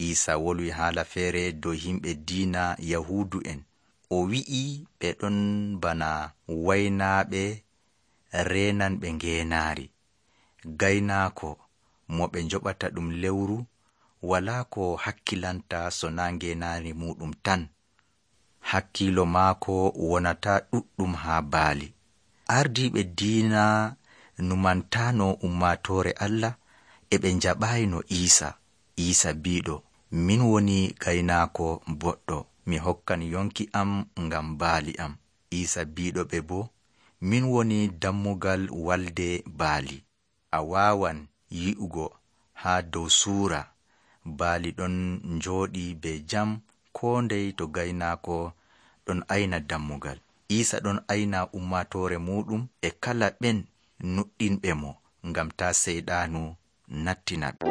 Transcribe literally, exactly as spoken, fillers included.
Iisa wolwi haala feere dow himɓe diina Yahuudu en. O wi'i ɓe ɗon bana waynaaɓe reenanɓe ngeenaari. Gaynaako mo ɓe njoɓata ɗum lewru walaa ko hakkilanta so naa ngeenaari muuɗum tan. Hakkiilo maako wonataa ɗuɗɗum haa baali. Ardiiɓe diina numantaano ummaatoore Allah e ɓe njaɓaayino Iisa. Iisa biiɗo, min woni gaynaako boɗɗo, mi hokkan yonki am ngam baali am. Iisa biiɗo ɓe boo, min woni dammugal walde baali. A waawan yi'ugo haa dow suura baali ɗon njooɗii be jam koo ndey to gaynaako ɗon ayna dammugal. Iisa ɗon ayna ummaatoore muuɗum e kala ɓen nuɗɗinɓe mo ngam taa seyɗaanu nattina ɓe.